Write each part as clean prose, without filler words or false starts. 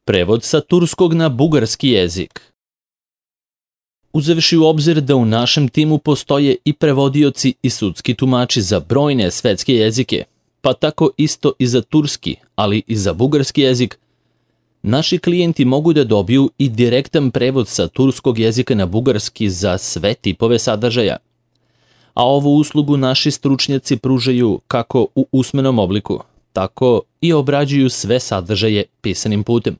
Prevod sa turskog na bugarski jezik. Uzevši u obzir da u našem timu postoje i prevodioci i sudski tumači za brojne svetske jezike, pa tako isto i za turski, ali i za bugarski jezik, naši klijenti mogu da dobiju i direktan prevod sa turskog jezika na bugarski za sve tipove sadržaja. A ovu uslugu naši stručnjaci pružaju kako u usmenom obliku, tako i obrađuju sve sadržaje pisanim putem.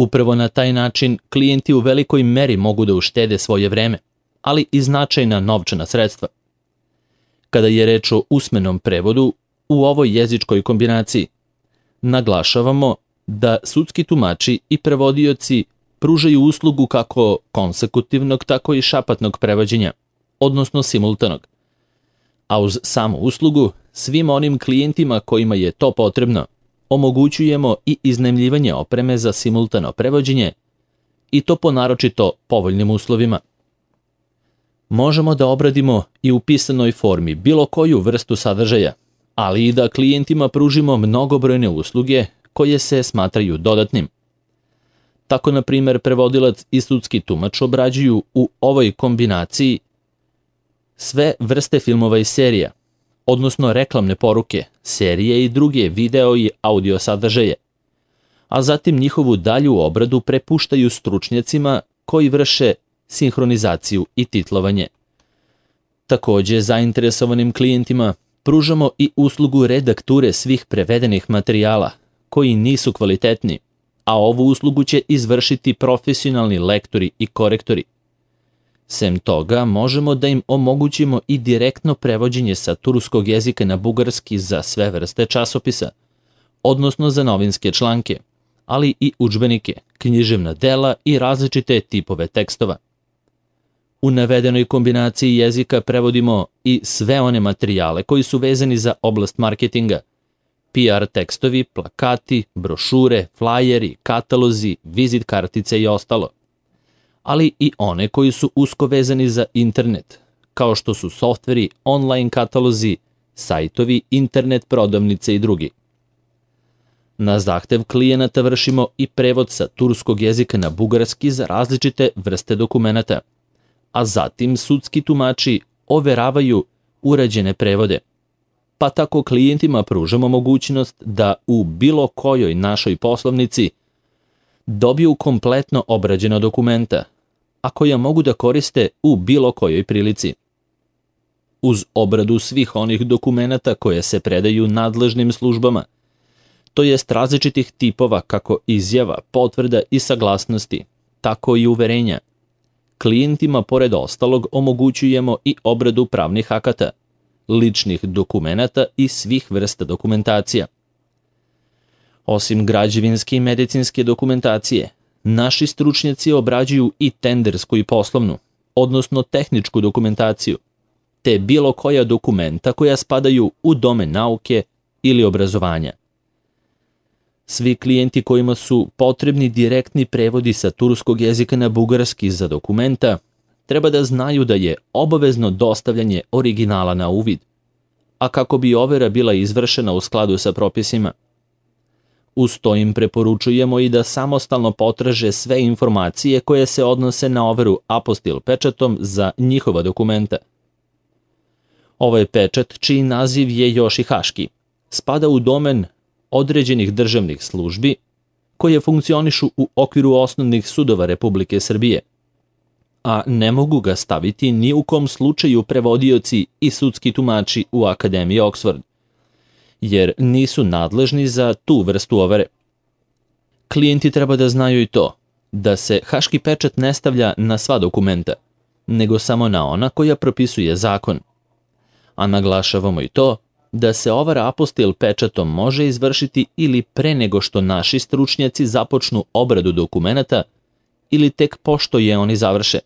Upravo na taj način klijenti u velikoj meri mogu da uštede svoje vreme, ali i značajna novčana sredstva. Kada je reč o usmenom prevodu u ovoj jezičkoj kombinaciji, naglašavamo da sudski tumači i prevodioci pružaju uslugu kako konsekutivnog, tako i šapatnog prevođenja, odnosno simultanog. A uz samu uslugu, svim onim klijentima kojima je to potrebno, omogućujemo i iznajmljivanje opreme za simultano prevođenje i to po naročito povoljnim uslovima. Možemo da obradimo i u pisanoj formi bilo koju vrstu sadržaja, ali i da klijentima pružimo mnogobrojne usluge koje se smatraju dodatnim. Tako, na primjer, prevodilac i sudski tumač obrađuju u ovoj kombinaciji sve vrste filmova i serija, odnosno reklamne poruke, serije i druge video i audio sadržaje, a zatim njihovu dalju obradu prepuštaju stručnjacima koji vrše sinhronizaciju i titlovanje. Takođe, zainteresovanim klijentima pružamo i uslugu redakture svih prevedenih materijala koji nisu kvalitetni, a ovu uslugu će izvršiti profesionalni lektori i korektori. Sem toga, možemo da im omogućimo i direktno prevođenje sa turskog jezika na bugarski za sve vrste časopisa, odnosno za novinske članke, ali i udžbenike, književna dela i različite tipove tekstova. U navedenoj kombinaciji jezika prevodimo i sve one materijale koji su vezani za oblast marketinga, PR tekstovi, plakati, brošure, flajeri, katalozi, vizit kartice i ostalo, ali i one koji su usko vezani za internet, kao što su softveri, online katalozi, sajtovi, internet prodavnice i drugi. Na zahtev klijenata vršimo i prevod sa turskog jezika na bugarski za različite vrste dokumenata, a zatim sudski tumači overavaju urađene prevode, pa tako klijentima pružamo mogućnost da u bilo kojoj našoj poslovnici dobiju kompletno obrađena dokumenta, a koja mogu da koriste u bilo kojoj prilici. Uz obradu svih onih dokumenata koje se predaju nadležnim službama, to jest različitih tipova kako izjava, potvrda i saglasnosti, tako i uverenja, klijentima pored ostalog omogućujemo i obradu pravnih akata, ličnih dokumenata i svih vrsta dokumentacija. Osim građevinske i medicinske dokumentacije, naši stručnjaci obrađuju i tendersku i poslovnu, odnosno tehničku dokumentaciju, te bilo koja dokumenta koja spadaju u domen nauke ili obrazovanja. Svi klijenti kojima su potrebni direktni prevodi sa turskog jezika na bugarski za dokumenta, treba da znaju da je obavezno dostavljanje originala na uvid, a kako bi overa bila izvršena u skladu sa propisima. Uz to im preporučujemo i da samostalno potraže sve informacije koje se odnose na overu apostil pečatom za njihova dokumenta. Ovaj pečat, čiji naziv je još i haški, spada u domen određenih državnih službi koje funkcionišu u okviru osnovnih sudova Republike Srbije, a ne mogu ga staviti ni u kom slučaju prevodioci i sudski tumači u Akademiji Oxford, jer nisu nadležni za tu vrstu overe. Klijenti treba da znaju i to, da se haški pečat ne stavlja na sva dokumenta, nego samo na ona koja propisuje zakon. A naglašavamo i to, da se overa apostil pečatom može izvršiti ili pre nego što naši stručnjaci započnu obradu dokumenata ili tek pošto je oni završe.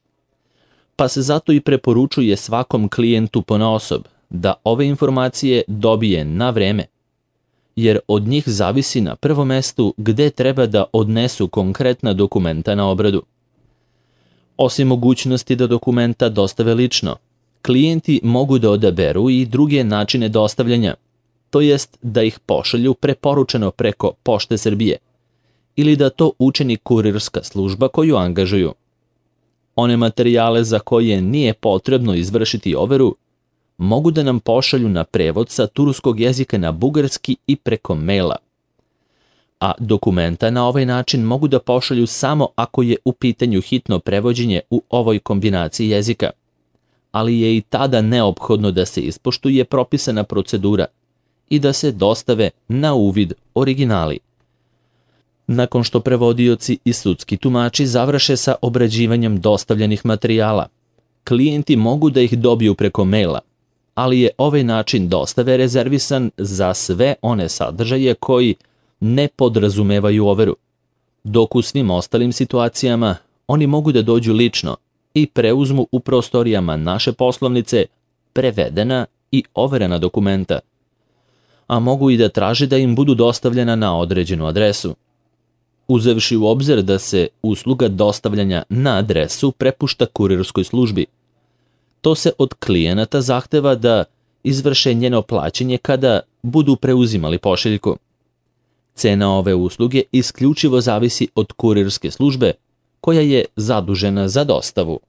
Pa se zato i preporučuje svakom klijentu ponaosob da ove informacije dobije na vreme, jer od njih zavisi na prvom mestu gde treba da odnesu konkretna dokumenta na obradu. Osim mogućnosti da dokumenta dostave lično, klijenti mogu da odaberu i druge načine dostavljanja, to jest da ih pošalju preporučeno preko Pošte Srbije, ili da to učini kurirska služba koju angažuju. One materijale za koje nije potrebno izvršiti overu mogu da nam pošalju na prevod sa turskog jezika na bugarski i preko maila. A dokumenta na ovaj način mogu da pošalju samo ako je u pitanju hitno prevođenje u ovoj kombinaciji jezika, ali je i tada neophodno da se ispoštuje propisana procedura i da se dostave na uvid originali. Nakon što prevodioci i sudski tumači završe sa obrađivanjem dostavljenih materijala, klijenti mogu da ih dobiju preko maila, ali je ovaj način dostave rezervisan za sve one sadržaje koji ne podrazumevaju overu, dok u svim ostalim situacijama oni mogu da dođu lično i preuzmu u prostorijama naše poslovnice prevedena i overena dokumenta, a mogu i da traže da im budu dostavljena na određenu adresu. Uzevši u obzir da se usluga dostavljanja na adresu prepušta kurirskoj službi, to se od klijenata zahteva da izvrše njeno plaćanje kada budu preuzimali pošiljku. Cena ove usluge isključivo zavisi od kurirske službe koja je zadužena za dostavu.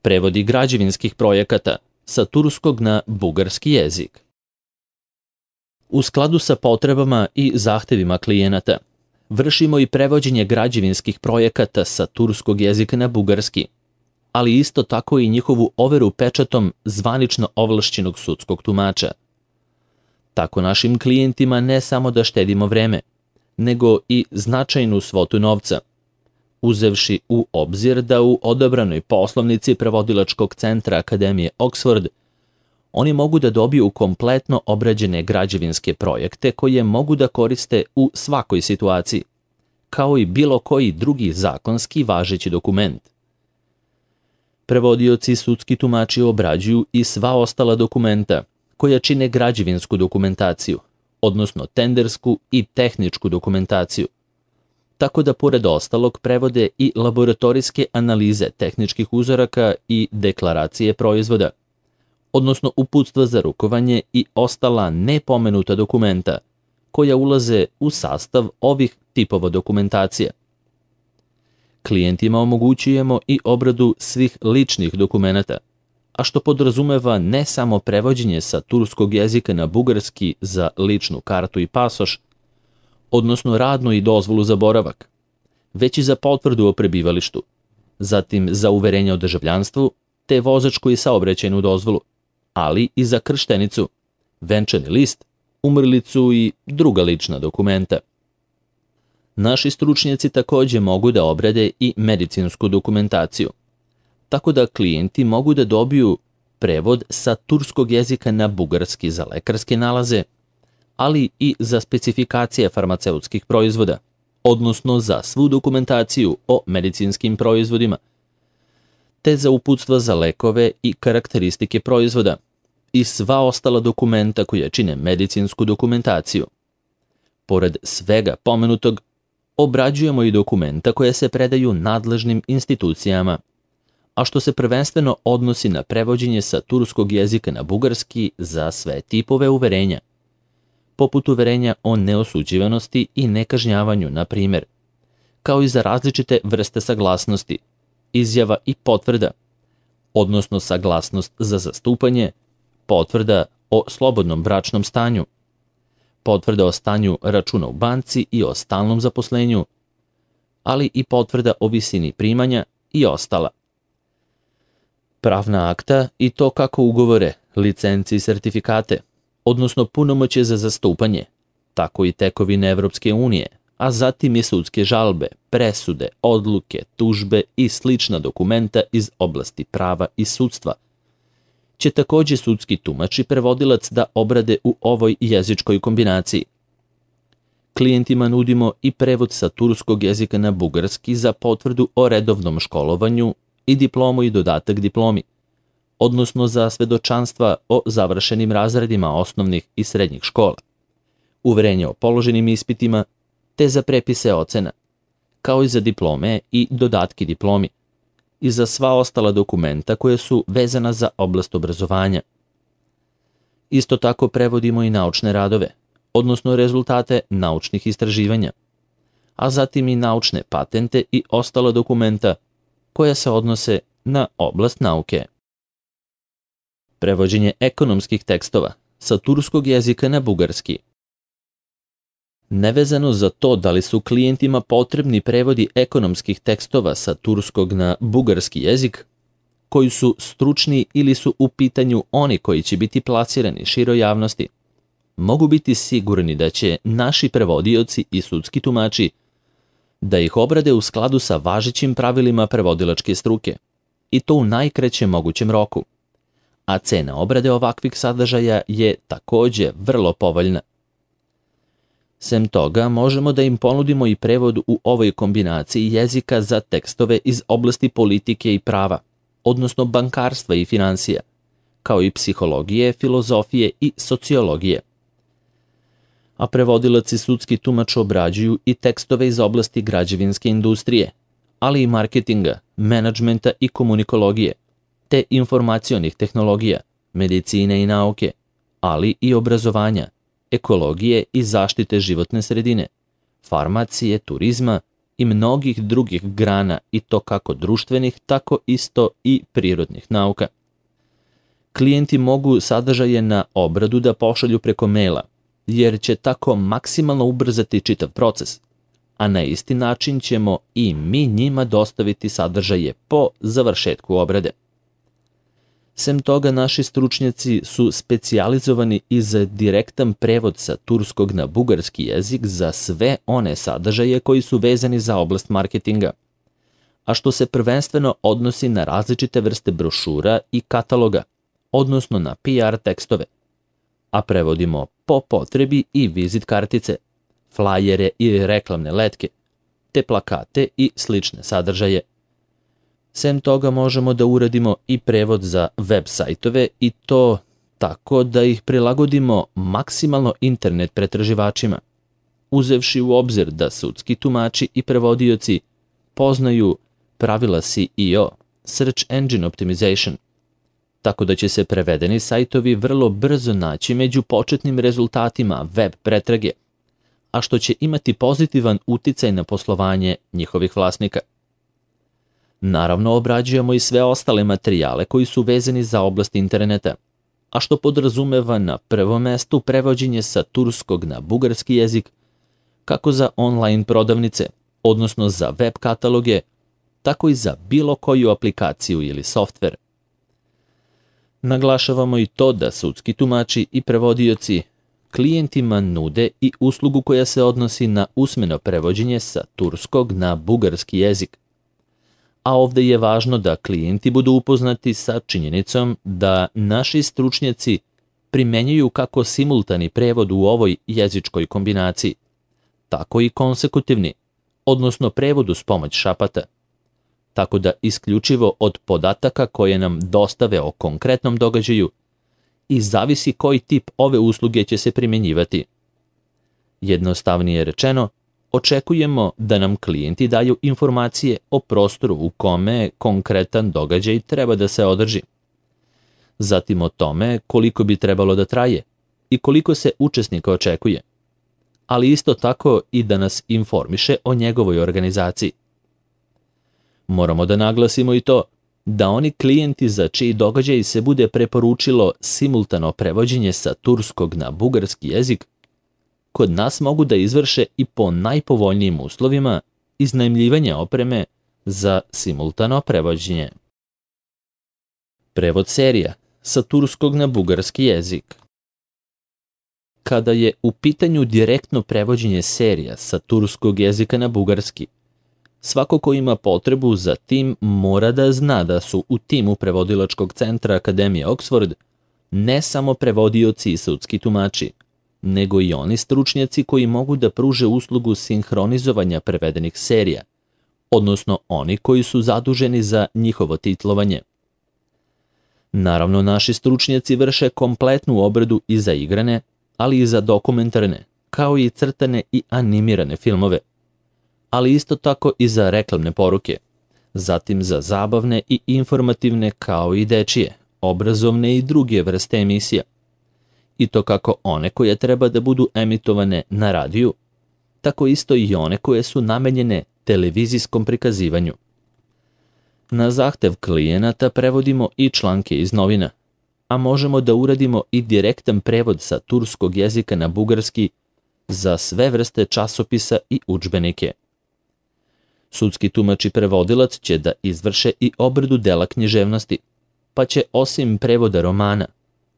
Prevodi građevinskih projekata sa turskog na bugarski jezik. U skladu sa potrebama i zahtevima klijenata, vršimo i prevođenje građevinskih projekata sa turskog jezika na bugarski, ali isto tako i njihovu overu pečatom zvanično ovlašćenog sudskog tumača. Tako našim klijentima ne samo da štedimo vreme, nego i značajnu svotu novca, uzevši u obzir da u odabranoj poslovnici prevodilačkog centra Akademije Oxford oni mogu da dobiju kompletno obrađene građevinske projekte koje mogu da koriste u svakoj situaciji, kao i bilo koji drugi zakonski važeći dokument. Prevodioci i sudski tumači obrađuju i sva ostala dokumenta koja čine građevinsku dokumentaciju, odnosno tendersku i tehničku dokumentaciju, tako da pored ostalog prevode i laboratorijske analize tehničkih uzoraka i deklaracije proizvoda, odnosno uputstva za rukovanje i ostala nepomenuta dokumenta koja ulaze u sastav ovih tipova dokumentacija. Klijentima omogućujemo i obradu svih ličnih dokumenata, a što podrazumeva ne samo prevođenje sa turskog jezika na bugarski za ličnu kartu i pasoš, odnosno radnu i dozvolu za boravak, već i za potvrdu o prebivalištu, zatim za uverenje o državljanstvu, te vozačku i saobraćajnu dozvolu, ali i za krštenicu, venčani list, umrlicu i druga lična dokumenta. Naši stručnjaci takođe mogu da obrade i medicinsku dokumentaciju, tako da klijenti mogu da dobiju prevod sa turskog jezika na bugarski za lekarske nalaze, ali i za specifikacije farmaceutskih proizvoda, odnosno za svu dokumentaciju o medicinskim proizvodima, te za uputstva za lekove i karakteristike proizvoda i sva ostala dokumenta koja čine medicinsku dokumentaciju. Pored svega pomenutog, obrađujemo i dokumenta koje se predaju nadležnim institucijama, a što se prvenstveno odnosi na prevođenje sa turskog jezika na bugarski za sve tipove uverenja, poput uverenja o neosuđivanosti i nekažnjavanju, na primjer, kao i za različite vrste saglasnosti, izjava i potvrda, odnosno saglasnost za zastupanje, potvrda o slobodnom bračnom stanju, potvrda o stanju računa u banci i o stalnom zaposlenju, ali i potvrda o visini primanja i ostala. Pravna akta i to kako ugovore, licence i sertifikate, odnosno punomoćje za zastupanje, tako i tekovine Evropske unije, a zatim i sudske žalbe, presude, odluke, tužbe i slična dokumenta iz oblasti prava i sudstva, će takođe sudski tumač i prevodilac da obrade u ovoj jezičkoj kombinaciji. Klijentima nudimo i prevod sa turskog jezika na bugarski za potvrdu o redovnom školovanju i diplomu i dodatak diplomi, odnosno za svedočanstva o završenim razredima osnovnih i srednjih škola, uverenje o položenim ispitima, te za prepise ocena, kao i za diplome i dodatki diplomi, i za sva ostala dokumenta koje su vezana za oblast obrazovanja. Isto tako prevodimo i naučne radove, odnosno rezultate naučnih istraživanja, a zatim i naučne patente i ostala dokumenta koja se odnose na oblast nauke. Prevođenje ekonomskih tekstova sa turskog jezika na bugarski. Nevezano za to da li su klijentima potrebni prevodi ekonomskih tekstova sa turskog na bugarski jezik, koji su stručni ili su u pitanju oni koji će biti plasirani široj javnosti, mogu biti sigurni da će naši prevodioci i sudski tumači da ih obrade u skladu sa važećim pravilima prevodilačke struke, i to u najkraćem mogućem roku. A cena obrade ovakvih sadržaja je takođe vrlo povoljna. Sem toga, možemo da im ponudimo i prevod u ovoj kombinaciji jezika za tekstove iz oblasti politike i prava, odnosno bankarstva i finansija, kao i psihologije, filozofije i sociologije. A prevodilac i sudski tumač obrađuju i tekstove iz oblasti građevinske industrije, ali i marketinga, menadžmenta i komunikologije, te informacionih tehnologija, medicine i nauke, ali i obrazovanja, ekologije i zaštite životne sredine, farmacije, turizma i mnogih drugih grana, i to kako društvenih, tako isto i prirodnih nauka. Klijenti mogu sadržaje na obradu da pošalju preko maila, jer će tako maksimalno ubrzati čitav proces, a na isti način ćemo i mi njima dostaviti sadržaje po završetku obrade. Sem toga, naši stručnjaci su specijalizovani i za direktan prevod sa turskog na bugarski jezik za sve one sadržaje koji su vezani za oblast marketinga, a što se prvenstveno odnosi na različite vrste brošura i kataloga, odnosno na PR tekstove, a prevodimo po potrebi i vizit kartice, flajere i reklamne letke, te plakate i slične sadržaje. Sem toga, možemo da uradimo i prevod za web sajtove, i to tako da ih prilagodimo maksimalno internet pretraživačima, uzevši u obzir da sudski tumači i prevodioci poznaju pravila SEO, Search Engine Optimization, tako da će se prevedeni sajtovi vrlo brzo naći među početnim rezultatima web pretrage, a što će imati pozitivan uticaj na poslovanje njihovih vlasnika. Naravno, obrađujemo i sve ostale materijale koji su vezani za oblast interneta, a što podrazumeva na prvom mestu prevođenje sa turskog na bugarski jezik, kako za online prodavnice, odnosno za web kataloge, tako i za bilo koju aplikaciju ili softver. Naglašavamo i to da sudski tumači i prevodioci klijentima nude i uslugu koja se odnosi na usmeno prevođenje sa turskog na bugarski jezik. A ovde je važno da klijenti budu upoznati sa činjenicom da naši stručnjaci primenjuju kako simultani prevod u ovoj jezičkoj kombinaciji, tako i konsekutivni, odnosno prevod uz pomoć šapata, tako da isključivo od podataka koje nam dostave o konkretnom događaju i zavisi koji tip ove usluge će se primenjivati. Jednostavnije rečeno, očekujemo da nam klijenti daju informacije o prostoru u kome konkretan događaj treba da se održi, zatim o tome koliko bi trebalo da traje i koliko se učesnika očekuje, ali isto tako i da nas informiše o njegovoj organizaciji. Moramo da naglasimo i to da oni klijenti za čiji događaj se bude preporučilo simultano prevođenje sa turskog na bugarski jezik, kod nas mogu da izvrše i po najpovoljnijim uslovima iznajmljivanja opreme za simultano prevođenje. Prevod serija sa turskog na bugarski jezik. Kada je u pitanju direktno prevođenje serija sa turskog jezika na bugarski, svako ko ima potrebu za tim mora da zna da su u timu prevodilačkog centra Akademije Oxford ne samo prevodioci i sudski tumači, nego i oni stručnjaci koji mogu da pruže uslugu sinhronizovanja prevedenih serija, odnosno oni koji su zaduženi za njihovo titlovanje. Naravno, naši stručnjaci vrše kompletnu obradu i za igrane, ali i za dokumentarne, kao i crtane i animirane filmove, ali isto tako i za reklamne poruke, zatim za zabavne i informativne kao i dečije, obrazovne i druge vrste emisija, i to kako one koje treba da budu emitovane na radiju, tako isto i one koje su namenjene televizijskom prikazivanju. Na zahtev klijenata prevodimo i članke iz novina, a možemo da uradimo i direktan prevod sa turskog jezika na bugarski za sve vrste časopisa i udžbenike. Sudski tumač i prevodilac će da izvrše i obradu dela književnosti, pa će osim prevoda romana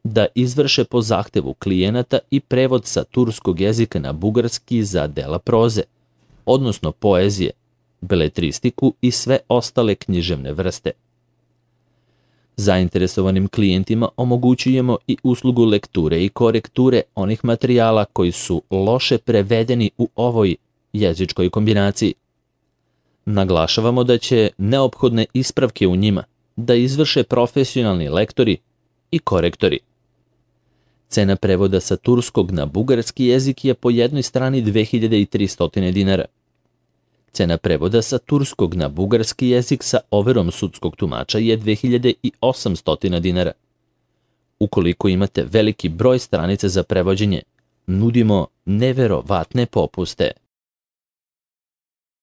da izvrše po zahtevu klijenata i prevod sa turskog jezika na bugarski za dela proze, odnosno poezije, beletristiku i sve ostale književne vrste. Zainteresovanim klijentima omogućujemo i uslugu lekture i korekture onih materijala koji su loše prevedeni u ovoj jezičkoj kombinaciji. Naglašavamo da će neophodne ispravke u njima da izvrše profesionalni lektori i korektori. Cena prevoda sa turskog na bugarski jezik je po jednoj strani 2300 dinara. Cena prevoda sa turskog na bugarski jezik sa overom sudskog tumača je 2800 dinara. Ukoliko imate veliki broj stranica za prevođenje, nudimo neverovatne popuste.